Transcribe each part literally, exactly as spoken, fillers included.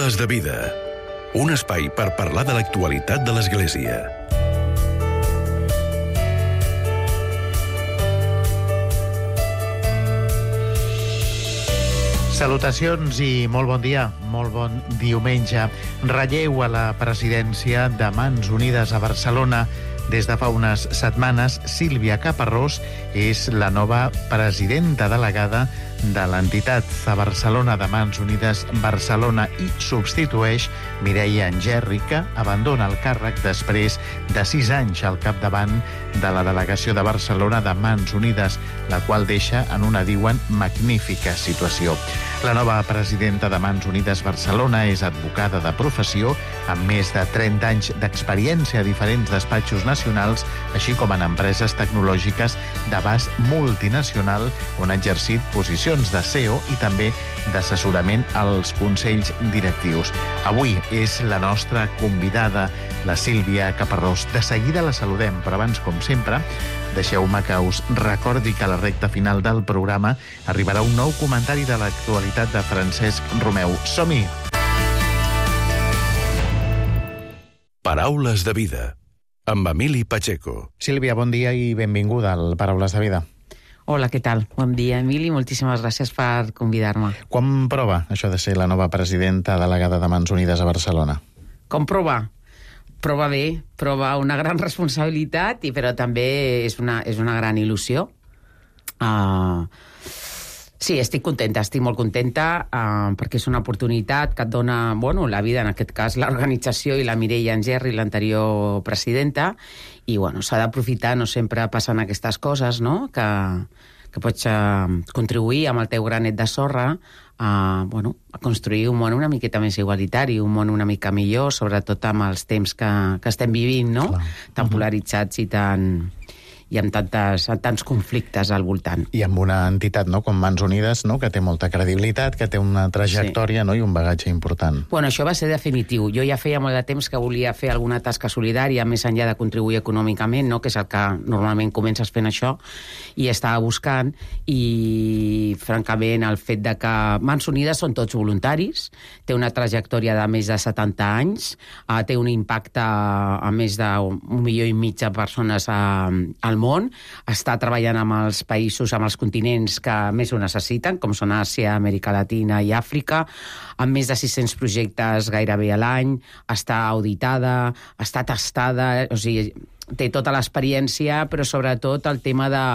Paraules de vida. Un espai per parlar de l'actualitat de l'Església. Salutacions i molt bon dia, molt bon diumenge. Relleu a la presidència de Mans Unides a Barcelona. Des de fa unes setmanes, Sílvia Caparrós és la nova presidenta delegada de l'entitat a Barcelona de Mans Unides Barcelona i substitueix Mireia Angeri, que abandona el càrrec després de sis anys al capdavant de la delegació de Barcelona de Mans Unides, la qual deixa en una, diuen, magnífica situació. La nova presidenta de Mans Unides Barcelona és advocada de professió, amb més de trenta anys d'experiència a diferents despatxos nacionals, així com en empreses tecnològiques d'abast multinacional, on ha exercit posicions de C E O i també d'assessorament als consells directius. Avui és la nostra convidada, la Sílvia Caparrós. De seguida la saludem, però abans, com sempre, deixeu-me que us recordi que a la recta final del programa arribarà un nou comentari de l'actualitat de Francesc Romeu. Som-hi! Paraules de vida, amb Emili Pacheco. Sílvia, bon dia i benvinguda al Paraules de vida. Hola, què tal? Bon dia, Emili. Moltíssimes gràcies per convidar-me. Quan prova això de ser la nova presidenta delegada de Mans Unides a Barcelona? Com prova? Prova bé, prova una gran responsabilitat, i però també és una, és una gran il·lusió. Uh, sí, estic contenta, estic molt contenta, uh, perquè és una oportunitat que et dona, bueno, la vida, en aquest cas, l'organització i la Mireia Angeri, l'anterior presidenta, i, bueno, s'ha d'aprofitar, no sempre passen aquestes coses, no?, que, que pots uh, contribuir amb el teu granet de sorra a, bueno, a construir un món una miqueta més igualitari, un món una mica millor, sobretot amb els temps que, que estem vivint, no?, clar, tan uh-huh. polaritzats i tan... i amb tantes, tants conflictes al voltant. I amb una entitat, no?, com Mans Unides, no?, que té molta credibilitat, que té una trajectòria, sí. no?, i un bagatge important. Bueno, això va ser definitiu. Jo ja feia molt de temps que volia fer alguna tasca solidària, més enllà de contribuir econòmicament, no?, que és el que normalment comences fent això, i estava buscant, i francament el fet de que Mans Unides són tots voluntaris, té una trajectòria de més de setanta anys, uh, té un impacte a més d'un milió i mig de persones uh, al món, està treballant amb els països, amb els continents que més ho necessiten, com són Àsia, Amèrica Latina i Àfrica, amb més de sis-cents projectes gairebé a l'any, està auditada, està testada, o sigui, té tota l'experiència, però sobretot el tema de,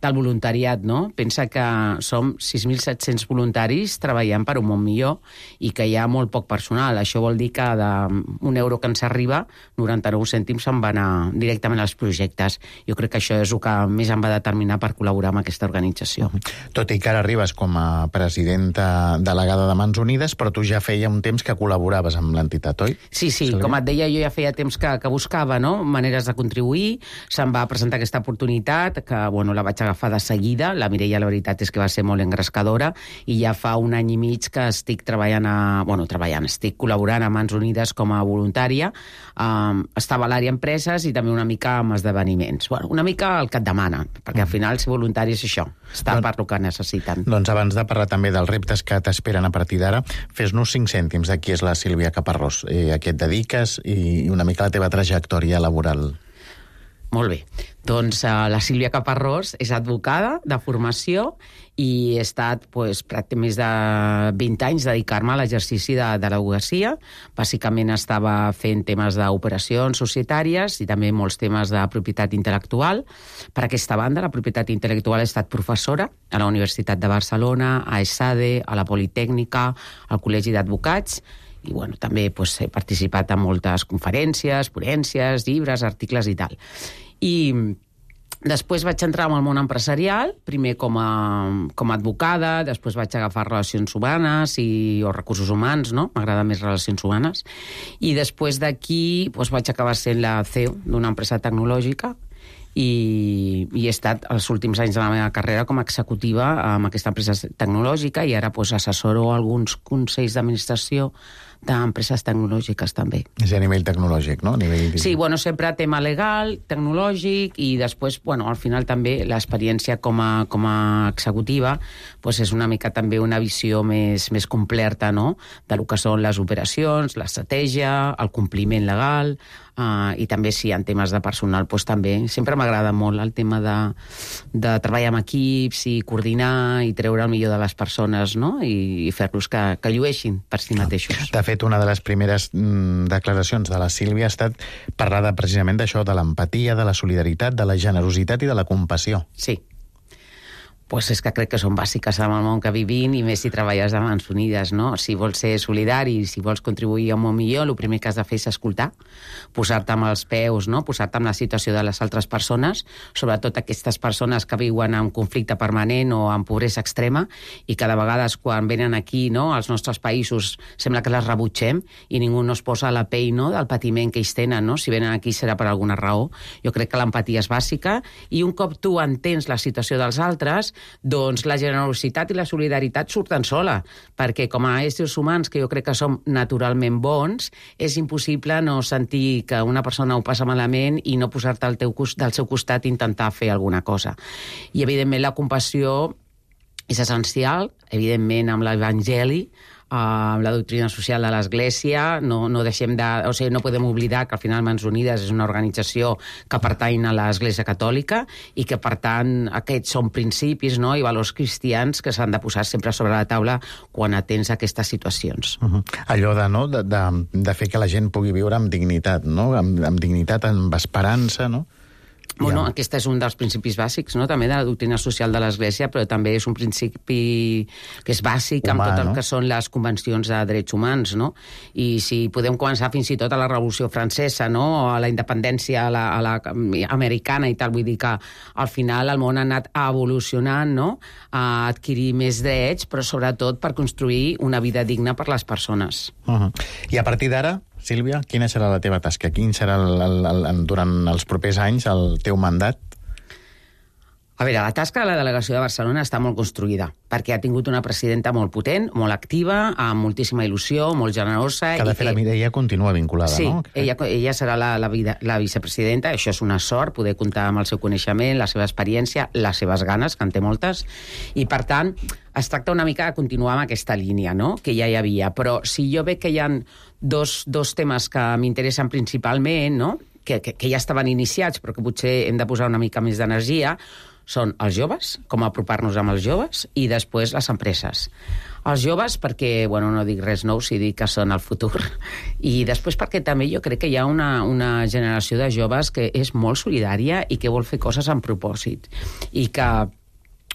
del voluntariat, no? Pensa que som sis mil set-cents voluntaris treballant per un món millor i que hi ha molt poc personal. Això vol dir que d'un euro que ens arriba, noranta-nou cèntims se'n van anar directament als projectes. Jo crec que això és el que més em va determinar per col·laborar amb aquesta organització. Tot i que ara arribes com a presidenta delegada de Mans Unides, però tu ja feia un temps que col·laboraves amb l'entitat, oi? Sí, sí, Sílvia? Com et deia, jo ja feia temps que, que buscava, no?, maneres de contribuir, se'm va presentar aquesta oportunitat, que, bueno, la vaig agafar de seguida. La Mireia, la veritat és que va ser molt engrescadora, i ja fa un any i mig que estic treballant a... Bueno, treballant, estic col·laborant a Mans Unides com a voluntària. Um, estava a l'àrea empreses i també una mica amb esdeveniments. Bueno, una mica el que et demana, perquè al final ser voluntari és això, estar doncs, per lo que necessiten. Doncs abans de parlar també dels reptes que t'esperen a partir d'ara, fes-nos cinc cèntims de qui és la Sílvia Caparrós, eh, a què et dediques i una mica la teva trajectòria laboral. Molt bé. Doncs uh, la Sílvia Caparrós és advocada de formació i he estat pues, pràcticament més de vint anys dedicar-me a l'exercici de, de l'advocacia. Bàsicament estava fent temes d'operacions societàries i també molts temes de propietat intel·lectual. Per aquesta banda, la propietat intel·lectual he estat professora a la Universitat de Barcelona, a ESADE, a la Politècnica, al Col·legi d'Advocats, i bueno, també pues, he participat en moltes conferències, ponències, llibres, articles i tal. I després vaig entrar en el món empresarial, primer com a, com a advocada, després vaig agafar relacions humanes i, o recursos humans, no? M'agrada més relacions humanes. I després d'aquí pues, vaig acabar sent la C E O d'una empresa tecnològica, i, i he estat els últims anys de la meva carrera com a executiva amb aquesta empresa tecnològica, i ara pues, assessoro alguns consells d'administració d'empreses tecnològiques també. És a nivell tecnològic, no? A nivell... Sí, bueno, sempre tema legal, tecnològic, i després, bueno, al final també l'experiència com a, com a executiva pues és una mica també una visió més, més completa, no?, de lo que són les operacions, l'estratègia, el compliment legal, uh, i també, sí, en temes de personal, pues també sempre m'agrada molt el tema de, de treballar amb equips i coordinar i treure el millor de les persones, no?, i, i fer-los que, que llueixin per si mateixos. De fet, una de les primeres mm, declaracions de la Sílvia ha estat parlar de, precisament d'això, de l'empatia, de la solidaritat, de la generositat i de la compassió. Sí. Pues és que crec que són bàsiques en el món que vivim, i més si treballes a mans unides, no? Si vols ser solidari, si vols contribuir a un món millor, el primer que has de fer és escoltar, posar-te amb els peus, no?, posar-te en la situació de les altres persones, sobretot aquestes persones que viuen en conflicte permanent o en pobresa extrema, i que de vegades quan venen aquí, no?, als nostres països, sembla que les rebutgem i ningú no es posa a la pell, no?, del patiment que ells tenen, no? Si venen aquí serà per alguna raó. Jo crec que l'empatia és bàsica, i un cop tu entens la situació dels altres, doncs la generositat i la solidaritat surten sola, perquè com a éssers humans, que jo crec que som naturalment bons, és impossible no sentir que una persona ho passa malament i no posar-te al teu, del seu costat i intentar fer alguna cosa. I, evidentment, la compassió és essencial, evidentment, amb l'Evangeli, amb la doctrina social de l'Església, no, no deixem de... O sigui, no podem oblidar que al final Mans Unides és una organització que pertany a l'Església Catòlica i que, per tant, aquests són principis, no?, i valors cristians que s'han de posar sempre sobre la taula quan atens aquestes situacions. Uh-huh. Allò de, no?, de, de, de fer que la gent pugui viure amb dignitat, no?, amb, amb dignitat, amb esperança, no? Bueno, ja. Aquest és un dels principis bàsics, no?, també de la doctrina social de l'Església, però també és un principi que és bàsic amb tot el que són les convencions de drets humans, no? I si podem començar fins i tot a la Revolució Francesa, no?, o a la independència a la, a la americana i tal, vull dir que al final el món ha anat evolucionant, no?, a adquirir més drets, però sobretot per construir una vida digna per les persones. Uh-huh. I a partir d'ara, Sílvia, quina serà la teva tasca? Quin serà el, el, el, durant els propers anys el teu mandat? A veure, la tasca de la delegació de Barcelona està molt construïda, perquè ha tingut una presidenta molt potent, molt activa, amb moltíssima il·lusió, molt generosa... Que de fet la Mireia continua vinculada, sí, no? Sí, ella, ella serà la, la, la vicepresidenta, això és una sort, poder comptar amb el seu coneixement, la seva experiència, les seves ganes, que en té moltes, i per tant es tracta una mica de continuar amb aquesta línia, no?, que ja hi havia. Però si jo veig que hi ha dos, dos temes que m'interessen principalment, no?, que, que, que ja estaven iniciats, però que potser hem de posar una mica més d'energia, són els joves, com apropar-nos amb els joves, i després les empreses. Els joves perquè, bueno, no dic res nou si dic que són el futur, i després perquè també jo crec que hi ha una, una generació de joves que és molt solidària i que vol fer coses amb propòsit, i que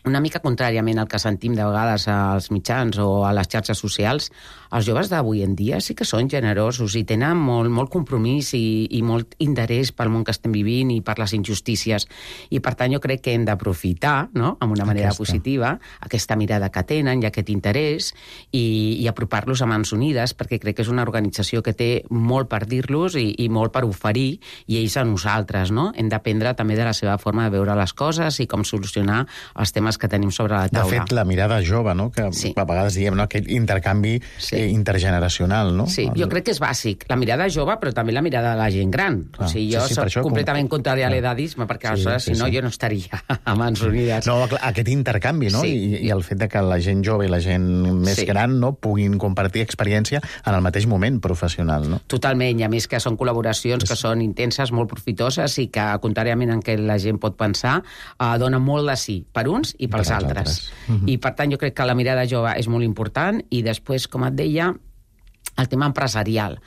una mica contràriament al que sentim de vegades als mitjans o a les xarxes socials, els joves d'avui en dia sí que són generosos i tenen molt, molt compromís i, i molt interès pel món que estem vivint i per les injustícies. I per tant jo crec que hem d'aprofitar, no?, amb una manera aquesta. positiva, aquesta mirada que tenen i aquest interès, i, i apropar-los a Mans Unides, perquè crec que és una organització que té molt per dir-los i, i molt per oferir, i ells a nosaltres, no? Hem d'aprendre també de la seva forma de veure les coses i com solucionar els temes que tenim sobre la taula. De fet, la mirada jove, no?, que sí. a vegades diem, no?, aquest intercanvi sí. eh, intergeneracional, no? Sí, jo crec que és bàsic. La mirada jove, però també la mirada de la gent gran. Ah, o sigui, jo sí, sí, soc això, completament com... contrària a l'edadisme, perquè sí, aleshores, sí, si no, sí. jo no estaria a Mans Unides. No, aquest intercanvi, no? Sí. I, I el fet de que la gent jove i la gent més sí. gran, no?, puguin compartir experiència en el mateix moment professional, no? Totalment, i a més que són col·laboracions que són intenses, molt profitoses, i que, contràriament en què la gent pot pensar, eh, donen molt de sí per uns i pels altres. altres. Uh-huh. I, per tant, jo crec que la mirada jove és molt important, i després, com et deia, el tema empresarial.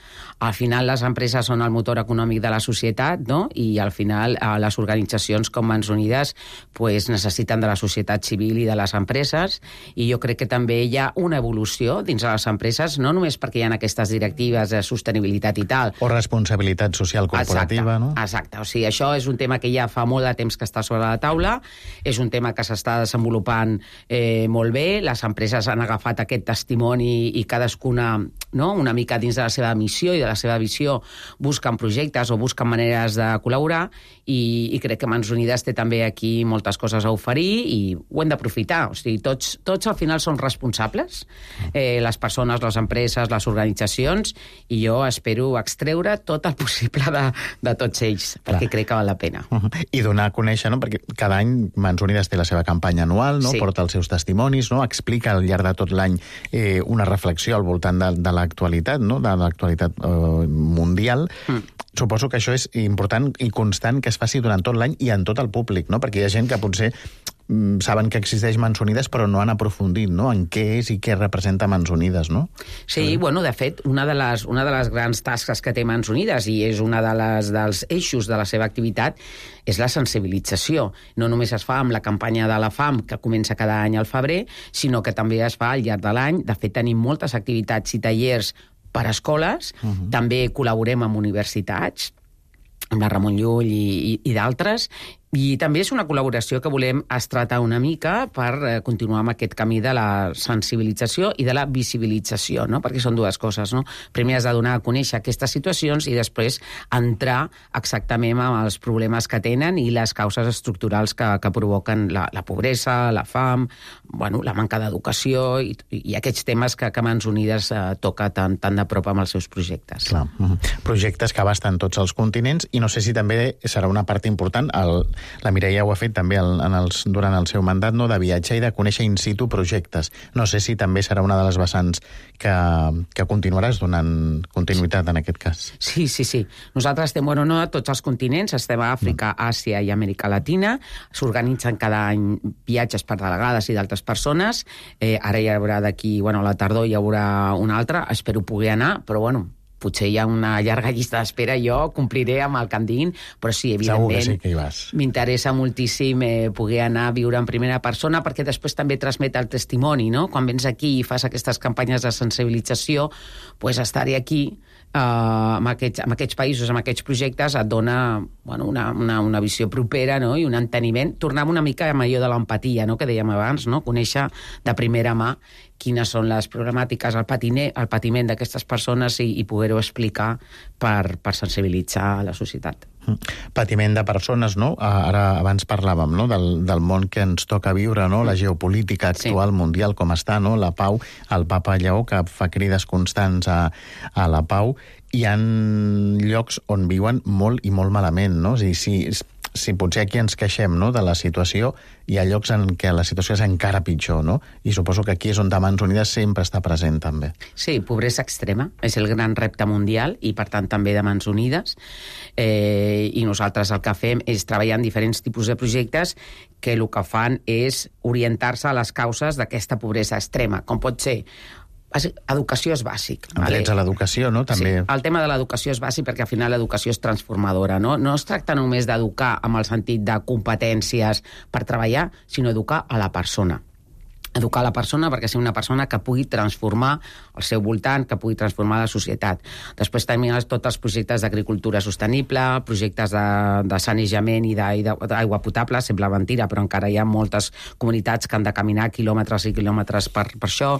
Al final les empreses són el motor econòmic de la societat, no? I al final eh, les organitzacions com Mans Unides pues, necessiten de la societat civil i de les empreses, i jo crec que també hi ha una evolució dins de les empreses, no només perquè hi ha aquestes directives de sostenibilitat i tal. O responsabilitat social corporativa, exacte, no? Exacte, o sigui, això és un tema que ja fa molt de temps que està sobre la taula, és un tema que s'està desenvolupant eh, molt bé, les empreses han agafat aquest testimoni i cadascuna, no?, una mica dins de la seva missió i de la seva visió busquen projectes o busquen maneres de col·laborar i, i crec que Mans Unides té també aquí moltes coses a oferir i ho hem d'aprofitar. O sigui, tots, tots al final són responsables, eh, les persones, les empreses, les organitzacions, i jo espero extreure tot el possible de, de tots ells, perquè Clar. crec que val la pena. Uh -huh. I donar a conèixer, no? Perquè cada any Mans Unides té la seva campanya anual, no? Sí. Porta els seus testimonis, no? Explica al llarg de tot l'any eh, una reflexió al voltant de, de l'actualitat, no? De l'actualitat eh, mundial. Mm. Suposo que això és important i constant que es faci durant tot l'any i en tot el públic, no? Perquè hi ha gent que potser mm, saben que existeix Mans Unides però no han aprofundit, no? En què és i què representa Mans Unides, no? Sí, sí. Bueno, de fet, una de, les, una de les grans tasques que té Mans Unides i és una de les, dels eixos de la seva activitat és la sensibilització. No només es fa amb la campanya de la fam, que comença cada any al febrer, sinó que també es fa al llarg de l'any. De fet, tenim moltes activitats i tallers per a escoles, uh -huh. també col·laborem amb universitats, amb la Ramon Llull i, i, i d'altres, i també és una col·laboració que volem estratar una mica per eh, continuar amb aquest camí de la sensibilització i de la visibilització, no? Perquè són dues coses, no? Primer has de donar a conèixer aquestes situacions i després entrar exactament amb els problemes que tenen i les causes estructurals que, que provoquen la, la pobresa, la fam, bueno, la manca d'educació i, i aquests temes que, que Mans Unides eh, toca tan, tan de prop amb els seus projectes. Clar. Uh-huh. Projectes que abasten tots els continents i no sé si també serà una part important el la Mireia ho ha fet també el, en els, durant el seu mandat, no, de viatjar i de conèixer in situ projectes. No sé si també serà una de les vessants que, que continuaràs donant continuïtat en aquest cas. Sí, sí, sí. Nosaltres estem, bueno, no a tots els continents, estem a Àfrica, mm. Àsia i Amèrica Latina, s'organitzen cada any viatges per delegades i d'altres persones, eh, ara hi haurà d'aquí, bueno, a la tardor hi haurà una altra, espero poder anar, però bueno, potser hi ha una llarga llista d'espera, jo compliré amb el que em diguin, però sí, evidentment, sí que hi vas. M'interessa moltíssim eh, poder anar a viure en primera persona, perquè després també transmet el testimoni, no? Quan vens aquí i fas aquestes campanyes de sensibilització, pues estar-hi aquí, eh, amb, aquests, amb aquests països, amb aquests projectes, et dona bueno, una, una, una visió propera, no? I un enteniment. Tornem una mica amb allò de l'empatia, no? Que dèiem abans, no? Conèixer de primera mà quines són les problemàtiques, el, patiner, el patiment d'aquestes persones i, i poder-ho explicar per, per sensibilitzar la societat. Patiment de persones, no? Ara abans parlàvem, no? del, del món que ens toca viure, no? La geopolítica actual, sí. mundial, com està, no? La pau, el papa Lleó, que fa crides constants a, a la pau. Hi ha llocs on viuen molt i molt malament, no? O sigui, si, si potser aquí ens queixem, no? de la situació, hi ha llocs en què la situació és encara pitjor, no? I suposo que aquí és on Mans Unides sempre està present, també. Sí, pobresa extrema és el gran repte mundial i, per tant, també de Mans Unides. Eh, I nosaltres el que fem és treballar en diferents tipus de projectes que el que fan és orientar-se a les causes d'aquesta pobresa extrema, com pot ser educació és bàsic. En drets a l'educació, no? També. Sí, el tema de l'educació és bàsic perquè al final l'educació és transformadora, no? No es tracta només d'educar amb el sentit de competències per treballar, sinó educar a la persona. Educar la persona perquè sigui una persona que pugui transformar el seu voltant, que pugui transformar la societat. Després tenim tots els projectes d'agricultura sostenible, projectes de, de sanejament i d'aigua potable, sembla mentira, però encara hi ha moltes comunitats que han de caminar quilòmetres i quilòmetres per, per això.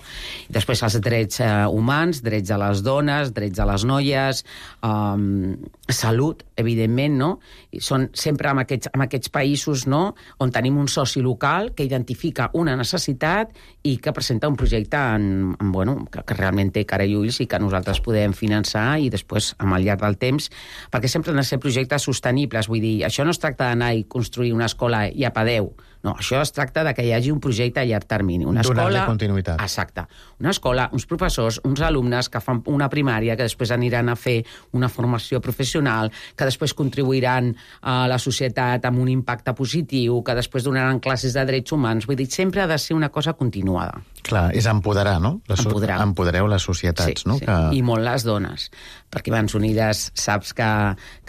I després els drets eh, humans, drets de les dones, drets de les noies, um, salut, evidentment, no? I són sempre en aquests, en aquests països, no?, on tenim un soci local que identifica una necessitat i que presenta un projecte en, en, bueno, que, que realment té cara i ulls i que nosaltres podem finançar i després, amb el llarg del temps, perquè sempre han de ser projectes sostenibles. Vull dir, això no es tracta d'anar i construir una escola i apa adeu. No, això es tracta de que hi hagi un projecte a llarg termini. Una Donar-li escola... continuïtat. Exacte. Una escola, uns professors, uns alumnes que fan una primària, que després aniran a fer una formació professional, que després contribuiran a la societat amb un impacte positiu, que després donaran classes de drets humans. Vull dir, sempre ha de ser una cosa continuada. Clar, és empoderar, no? Les, empoderar. Empodereu les societats, sí, no? Sí. Que... I molt les dones. Perquè Mans Unides saps que,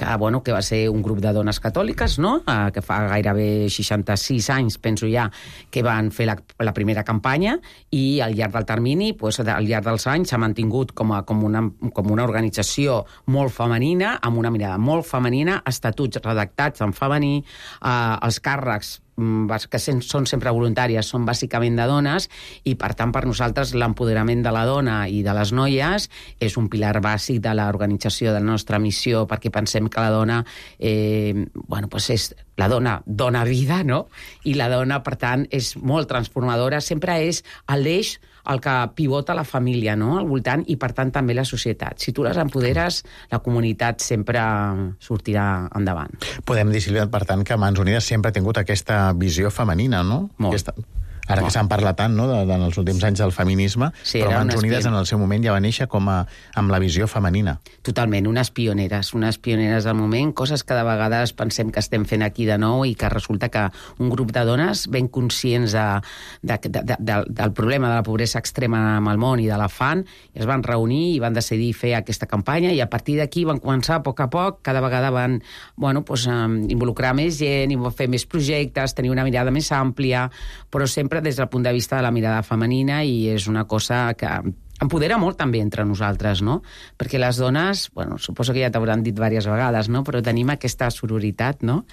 que, bueno, que va ser un grup de dones catòliques, no?, eh, que fa gairebé seixanta-sis anys, penso ja, que van fer la, la primera campanya i al llarg del termini, pues, al llarg dels anys, s'ha mantingut com, a, com, una, com una organització molt femenina, amb una mirada molt femenina, estatuts redactats en femení, eh, els càrrecs que són sempre voluntàries, són bàsicament de dones, i per tant per nosaltres l'empoderament de la dona i de les noies és un pilar bàsic de l'organització de la nostra missió, perquè pensem que la dona eh, bueno, pues és, la dona dona vida, no? I la dona, per tant, és molt transformadora, sempre és l'eix el que pivota la família, no?, al voltant, i per tant també la societat. Si tu les empoderes, la comunitat sempre sortirà endavant. Podem dir, Sílvia, per tant, que Mans Unides sempre ha tingut aquesta visió femenina, no? Molt. Aquesta... Ara que se'n parla tant, no?, de, de, en els últims anys del feminisme, sí, però Mans Unides en el seu moment ja va néixer com a, amb la visió femenina. Totalment, unes pioneres, unes pioneres del moment, coses que de vegades pensem que estem fent aquí de nou i que resulta que un grup de dones ben conscients de, de, de, de, de, del problema de la pobresa extrema amb el món i de l'afant, es van reunir i van decidir fer aquesta campanya, i a partir d'aquí van començar a poc a poc, cada vegada van bueno, pues, um, involucrar més gent i fer més projectes, tenir una mirada més àmplia, però sempre des del punt de vista de la mirada femenina, i és una cosa que empodera molt també entre nosaltres, no? Perquè les dones, bueno, suposo que ja t'hauran dit diverses vegades, no?, però tenim aquesta sororitat, no?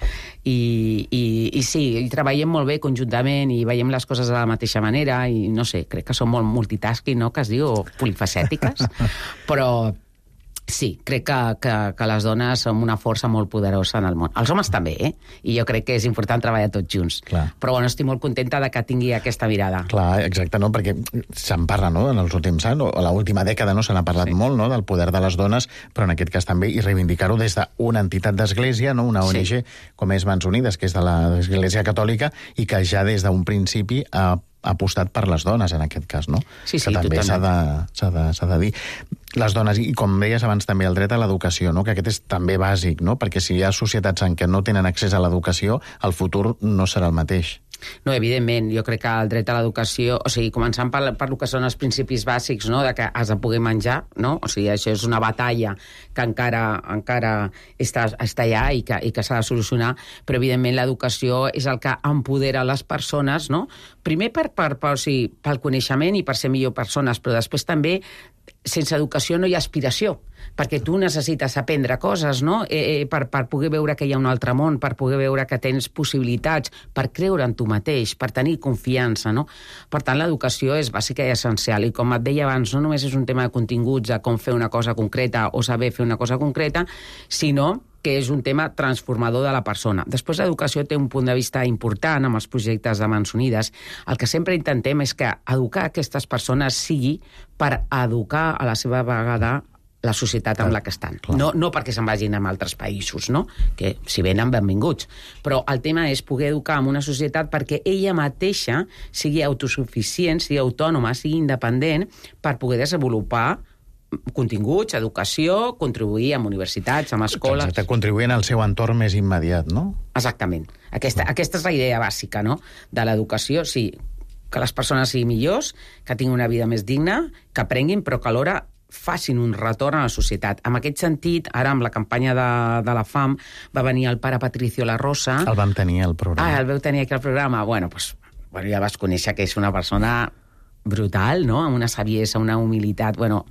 I, i, i sí, i treballem molt bé conjuntament i veiem les coses de la mateixa manera i, no sé, crec que som molt multitasking, no?, que es diu, o polifacètiques, però... Sí, crec que, que, que les dones som una força molt poderosa en el món. Els homes també, eh? I jo crec que és important treballar tots junts. Clar. Però bueno, estic molt contenta de que tingui aquesta mirada. Clar, exacte, no? Perquè se'n parla, no?, en els últims anys, o a l'última dècada, no?, se n'ha parlat sí. molt, no?, del poder de les dones, però en aquest cas també, i reivindicar-ho des d'una entitat d'església, no?, una O N G sí. com és Mans Unides, que és de l'Església Catòlica, i que ja des d'un principi ha apostat per les dones, en aquest cas, no? Sí, sí, que també s'ha de, s'ha de, s'ha de dir. Les dones, i com deies abans també, el dret a l'educació, no?, que aquest és també bàsic, no?, perquè si hi ha societats en què no tenen accés a l'educació, el futur no serà el mateix. No, evidentment, jo crec que el dret a l'educació, o sigui, començant per, per el que són els principis bàsics, no?, de que has de poder menjar, no?, o sigui, això és una batalla que encara, encara està, està allà i que, i que s'ha de solucionar, però evidentment l'educació és el que empodera les persones, no?, primer per, per, per, o sigui, pel coneixement i per ser millor persones, però després també sense educació no hi ha aspiració, perquè tu necessites aprendre coses, no?, eh, per, per poder veure que hi ha un altre món, per poder veure que tens possibilitats, per creure en tu mateix, per tenir confiança, no? Per tant, l'educació és bàsica i essencial, i com et deia abans, no només és un tema de continguts, de com fer una cosa concreta o saber fer una cosa concreta, sinó que és un tema transformador de la persona. Després, l'educació té un punt de vista important amb els projectes de Mans Unides. El que sempre intentem és que educar aquestes persones sigui per educar a la seva vegada la societat amb la que estan. No, no perquè se'n vagin a altres països, no?, que si venen, benvinguts. Però el tema és poder educar en una societat perquè ella mateixa sigui autosuficient, sigui autònoma, sigui independent, per poder desenvolupar continguts, educació, contribuir amb universitats, amb escoles... Exacte, contribuir en el seu entorn més immediat, no? Exactament. Aquesta, aquesta és la idea bàsica, no?, de l'educació, sí, que les persones siguin millors, que tinguin una vida més digna, que aprenguin, però que alhora facin un retorn a la societat. En aquest sentit, ara amb la campanya de, de la fam, va venir el pare Patricio La Rosa... El vam tenir al programa. Ah, el vau tenir aquí al programa. Bueno, doncs, bueno, ja vas conèixer que és una persona brutal, no?, amb una saviesa, una humilitat, bueno...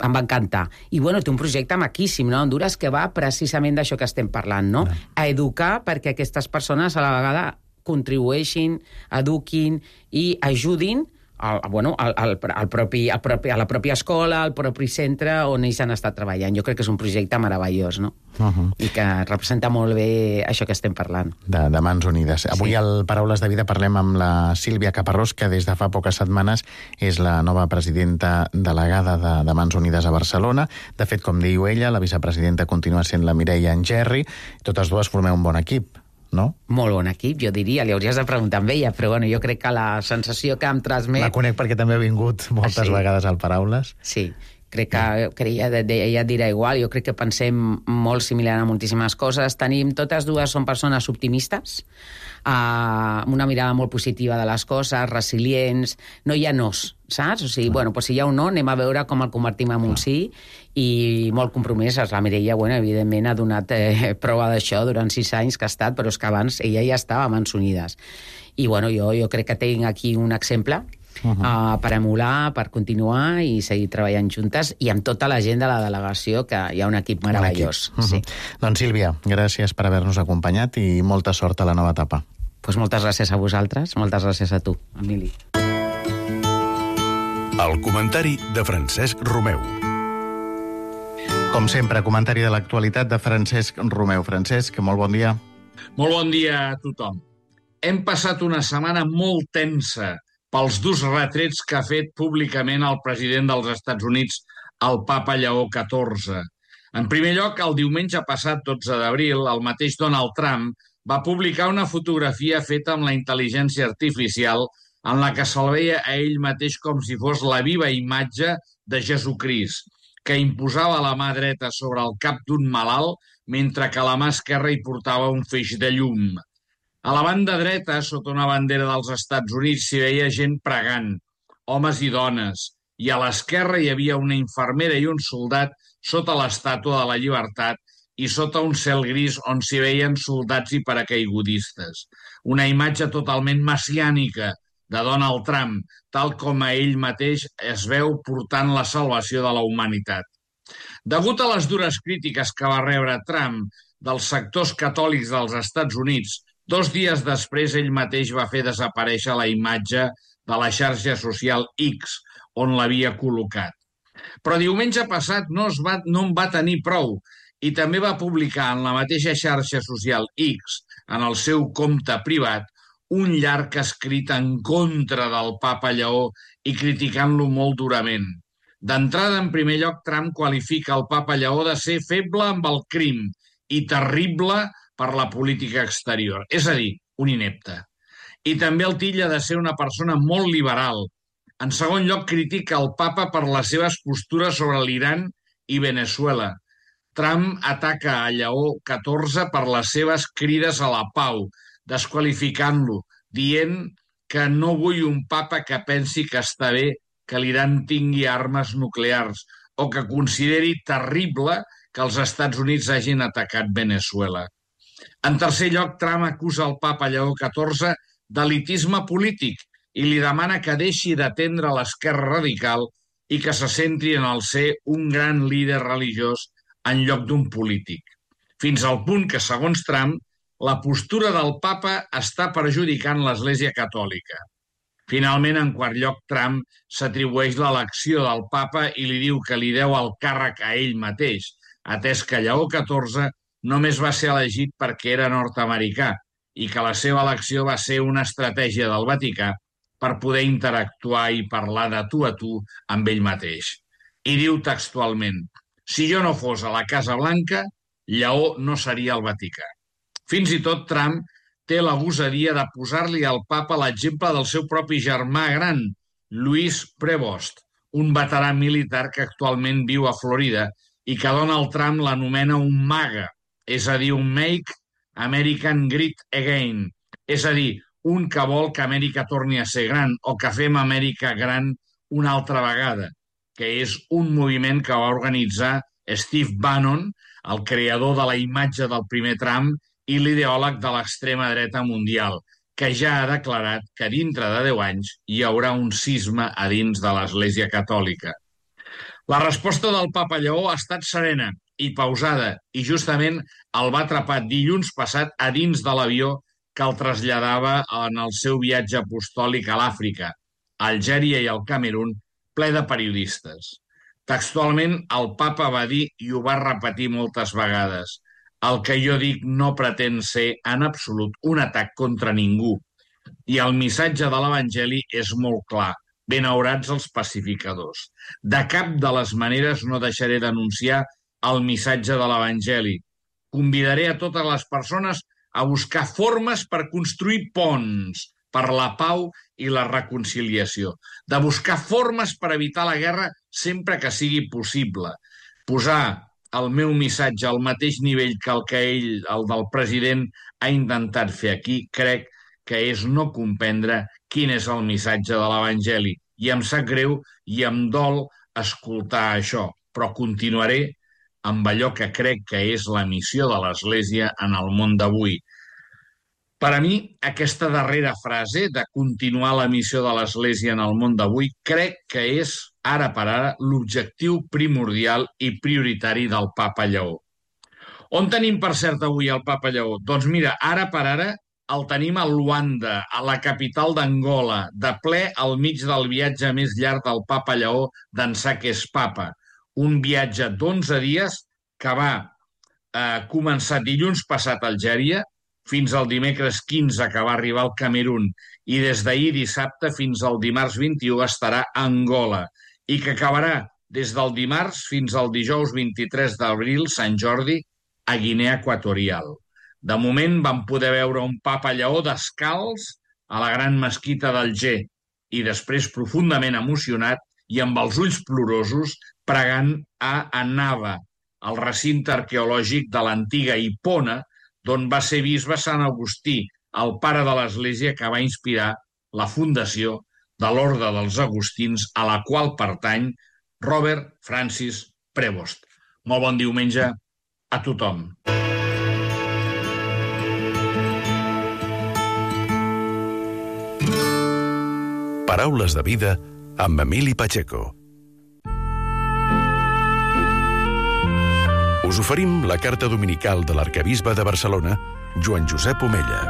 em va encantar. I, bueno, té un projecte maquíssim, no?, Honduras, que va precisament d'això que estem parlant, no?, a educar perquè aquestes persones a la vegada contribueixin, eduquin i ajudin al, bueno, al, al, al propi, al propi, a la pròpia escola, al propi centre on ells han estat treballant. Jo crec que és un projecte meravellós, no? Uh-huh. I que representa molt bé això que estem parlant. De, de Mans Unides. Avui sí. al Paraules de Vida parlem amb la Sílvia Caparrós, que des de fa poques setmanes és la nova presidenta delegada de, de Mans Unides a Barcelona. De fet, com diu ella, la vicepresidenta continua sent la Mireia Engerri. Totes dues formeu un bon equip, no? Molt bon equip, jo diria. Li hauries de preguntar amb ella, però bueno, jo crec que la sensació que em transmet... La conec perquè també ha vingut moltes ah, sí? vegades al Paraules. Sí, crec que, que ella, ella dirà igual. Jo crec que pensem molt similar a moltíssimes coses. Tenim, totes dues són persones optimistes, uh, amb una mirada molt positiva de les coses, resilients, no hi ha nos, saps? O sigui, bueno, pues si hi ha un no, anem a veure com el convertim en un sí, i molt compromeses. La Mireia, bueno, evidentment ha donat eh, prova d'això durant sis anys que ha estat, però és que abans ella ja estava a Mans Unides. I bueno, jo, jo crec que tinc aquí un exemple Uh -huh. uh, per emular, per continuar i seguir treballant juntes, i amb tota la gent de la delegació, que hi ha un equip meravellós. Uh -huh. sí. Doncs Sílvia, gràcies per haver-nos acompanyat i molta sort a la nova etapa. Pues moltes gràcies a vosaltres, moltes gràcies a tu, Emili. El comentari de Francesc Romeu. Com sempre, comentari de l'actualitat de Francesc Romeu. Francesc, molt bon dia. Molt bon dia a tothom. Hem passat una setmana molt tensa pels durs retrets que ha fet públicament el president dels Estats Units, el papa Lleó catorze. En primer lloc, el diumenge passat, dotze d'abril, el mateix Donald Trump va publicar una fotografia feta amb la intel·ligència artificial en la que se'l veia a ell mateix com si fos la viva imatge de Jesucrist, que imposava la mà dreta sobre el cap d'un malalt mentre que la mà esquerra hi portava un feix de llum. A la banda dreta, sota una bandera dels Estats Units, s'hi veia gent pregant, homes i dones, i a l'esquerra hi havia una infermera i un soldat sota l'estàtua de la llibertat i sota un cel gris on s'hi veien soldats i paracaigudistes. Una imatge totalment messiànica de Donald Trump, tal com a ell mateix es veu portant la salvació de la humanitat. Degut a les dures crítiques que va rebre Trump dels sectors catòlics dels Estats Units, dos dies després ell mateix va fer desaparèixer la imatge de la xarxa social X, on l'havia col·locat. Però diumenge passat no, es va, no en va tenir prou i també va publicar en la mateixa xarxa social X, en el seu compte privat, un llarg escrit en contra del papa Lleó i criticant-lo molt durament. D'entrada, en primer lloc, Trump qualifica el papa Lleó de ser feble amb el crim i terrible per la política exterior, és a dir, un inepte. I també el titlla de ser una persona molt liberal. En segon lloc, critica el papa per les seves postures sobre l'Iran i Venezuela. Trump ataca a Lleó catorze per les seves crides a la pau, desqualificant-lo, dient que no vull un papa que pensi que està bé que l'Iran tingui armes nuclears o que consideri terrible que els Estats Units hagin atacat Venezuela. En tercer lloc, Trump acusa el papa Lleó catorze d'elitisme polític i li demana que deixi d'atendre l'esquerra radical i que se centri en el ser un gran líder religiós en lloc d'un polític. Fins al punt que, segons Trump, la postura del papa està perjudicant l'Església Catòlica. Finalment, en quart lloc, Trump s'atribueix l'elecció del papa i li diu que li deu el càrrec a ell mateix, atès que Lleó catorze només va ser elegit perquè era nord-americà i que la seva elecció va ser una estratègia del Vaticà per poder interactuar i parlar de tu a tu amb ell mateix. I diu textualment: si jo no fos a la Casa Blanca, Lleó no seria al Vaticà. Fins i tot Trump té la gosadia de posar-li al papa l'exemple del seu propi germà gran, Louis Prevost, un veterà militar que actualment viu a Florida i que Donald Trump l'anomena un MAGA, és a dir, un Make American Great Again, és a dir, un que vol que Amèrica torni a ser gran o que fem Amèrica gran una altra vegada, que és un moviment que va organitzar Steve Bannon, el creador de la imatge del primer Trump i l'ideòleg de l'extrema dreta mundial, que ja ha declarat que dintre de deu anys hi haurà un cisma a dins de l'Església Catòlica. La resposta del papa Lleó ha estat serena i pausada i justament el va atrapar dilluns passat a dins de l'avió que el traslladava en el seu viatge apostòlic a l'Àfrica, a Algèria i al Camerun, ple de periodistes. Textualment, el papa va dir, i ho va repetir moltes vegades: el que jo dic no pretén ser en absolut un atac contra ningú. I el missatge de l'Evangeli és molt clar: benaurats els pacificadors. De cap de les maneres no deixaré d'anunciar el missatge de l'Evangeli. Convidaré a totes les persones a buscar formes per construir ponts per la pau i la reconciliació, de buscar formes per evitar la guerra sempre que sigui possible, posar el meu missatge al mateix nivell que el que ell, el del president, ha intentat fer aquí, crec que és no comprendre quin és el missatge de l'Evangeli. I em sap greu i em dol escoltar això, però continuaré amb allò que crec que és la missió de l'Església en el món d'avui. Per a mi, aquesta darrera frase de continuar la missió de l'Església en el món d'avui crec que és, ara per ara, l'objectiu primordial i prioritari del papa Lleó. On tenim, per cert, avui el papa Lleó? Doncs mira, ara per ara el tenim a Luanda, a la capital d'Angola, de ple al mig del viatge més llarg del papa Lleó d'ençà que és papa. Un viatge d'onze dies que va eh, començar dilluns passat a Algèria, fins al dimecres quinze que va arribar al Camerun, i des d'ahir dissabte fins al dimarts vint-i-u estarà a Angola, i que acabarà des del dimarts fins al dijous vint-i-tres d'abril, Sant Jordi, a Guinea Equatorial. De moment vam poder veure un papa Lleó descalç a la gran mesquita d'Alger i després profundament emocionat i amb els ulls plorosos pregant a Annaba, el recinte arqueològic de l'antiga Hipona, d'on va ser bisbe Sant Agustí, el pare de l'Església que va inspirar la fundació de l'Orde dels Agustins, a la qual pertany Robert Francis Prevost. Molt bon diumenge a tothom. Paraules de vida amb Emili Pacheco. Us oferim la carta dominical de l'arquebisbe de Barcelona, Joan Josep Omella.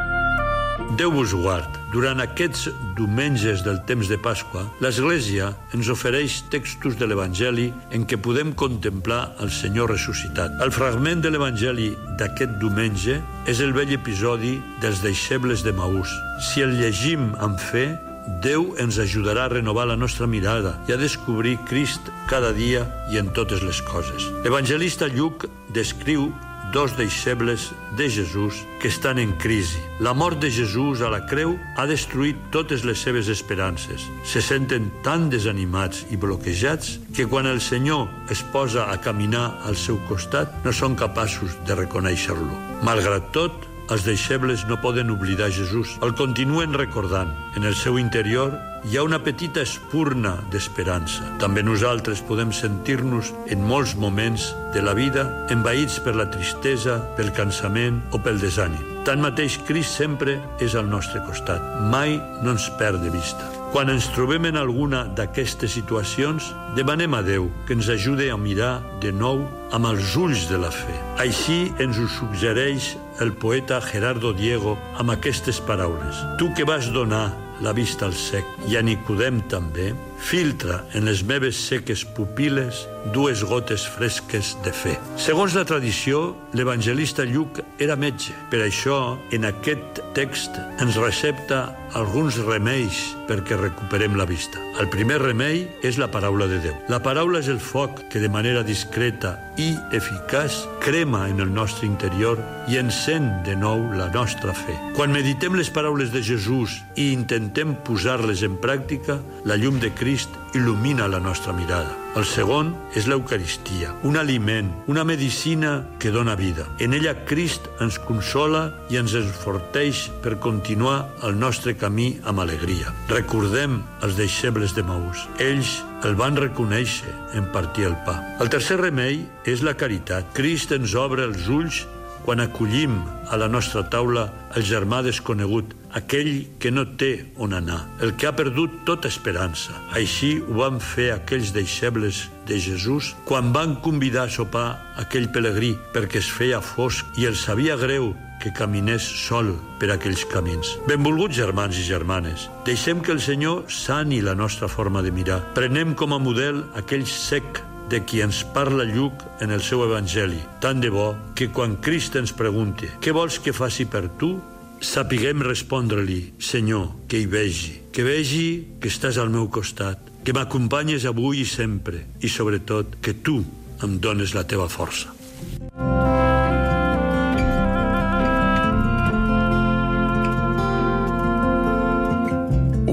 Déu vos guard. Durant aquests diumenges del temps de Pasqua, l'Església ens ofereix textos de l'Evangeli en què podem contemplar el Senyor ressuscitat. El fragment de l'Evangeli d'aquest diumenge és el vell episodi dels deixebles de Maús. Si el llegim amb fe, Déu ens ajudarà a renovar la nostra mirada i a descobrir Crist cada dia i en totes les coses. L'evangelista Lluc descriu dos deixebles de Jesús que estan en crisi. La mort de Jesús a la creu ha destruït totes les seves esperances. Se senten tan desanimats i bloquejats que quan el Senyor es posa a caminar al seu costat no són capaços de reconèixer-lo. Malgrat tot, els deixebles no poden oblidar Jesús. El continuen recordant. En el seu interior hi ha una petita espurna d'esperança. També nosaltres podem sentir-nos en molts moments de la vida envaïts per la tristesa, pel cansament o pel desànim. Tanmateix, Crist sempre és al nostre costat. Mai no ens perd de vista. Quan ens trobem en alguna d'aquestes situacions, demanem a Déu que ens ajude a mirar de nou amb els ulls de la fe. Així ens ho suggereix el poeta Gerardo Diego amb aquestes paraules. Tu que vas donar la vista al cec i a Nicodem també, filtra en les meves seques pupil·les dues gotes fresques de fe. Segons la tradició, l'evangelista Lluc era metge. Per això, en aquest text ens recepta alguns remeis perquè recuperem la vista. El primer remei és la paraula de Déu. La paraula és el foc que de manera discreta i eficaç crema en el nostre interior i encén de nou la nostra fe. Quan meditem les paraules de Jesús i intentem posar-les en pràctica, la llum de Crist il·lumina la nostra mirada. El segon és l'Eucaristia, un aliment, una medicina que dona vida. En ella Crist ens consola i ens enforteix per continuar el nostre camí amb alegria. Recordem els deixebles de Maús. Ells el van reconèixer en partir el pa. El tercer remei és la caritat. Crist ens obre els ulls quan acollim a la nostra taula el germà desconegut, aquell que no té on anar, el que ha perdut tota esperança. Així ho van fer aquells deixebles de Jesús quan van convidar a sopar aquell pelegrí perquè es feia fosc i els sabia greu que caminés sol per aquells camins. Benvolguts germans i germanes, deixem que el Senyor sani la nostra forma de mirar. Prenem com a model aquell sec de qui ens parla Lluc en el seu Evangeli. Tant de bo que quan Crist ens pregunte «Què vols que faci per tu?», sapiguem respondre-li «Senyor, que hi vegi, que vegi que estàs al meu costat, que m'acompanyes avui i sempre, i sobretot que tu em dones la teva força».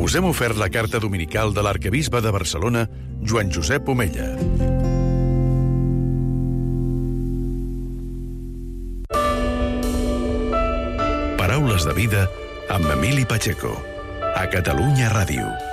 Us hem ofert la carta dominical de l'arquebisbe de Barcelona, Joan Josep Omella. Paraules de vida amb Emili Pacheco, a Catalunya Ràdio.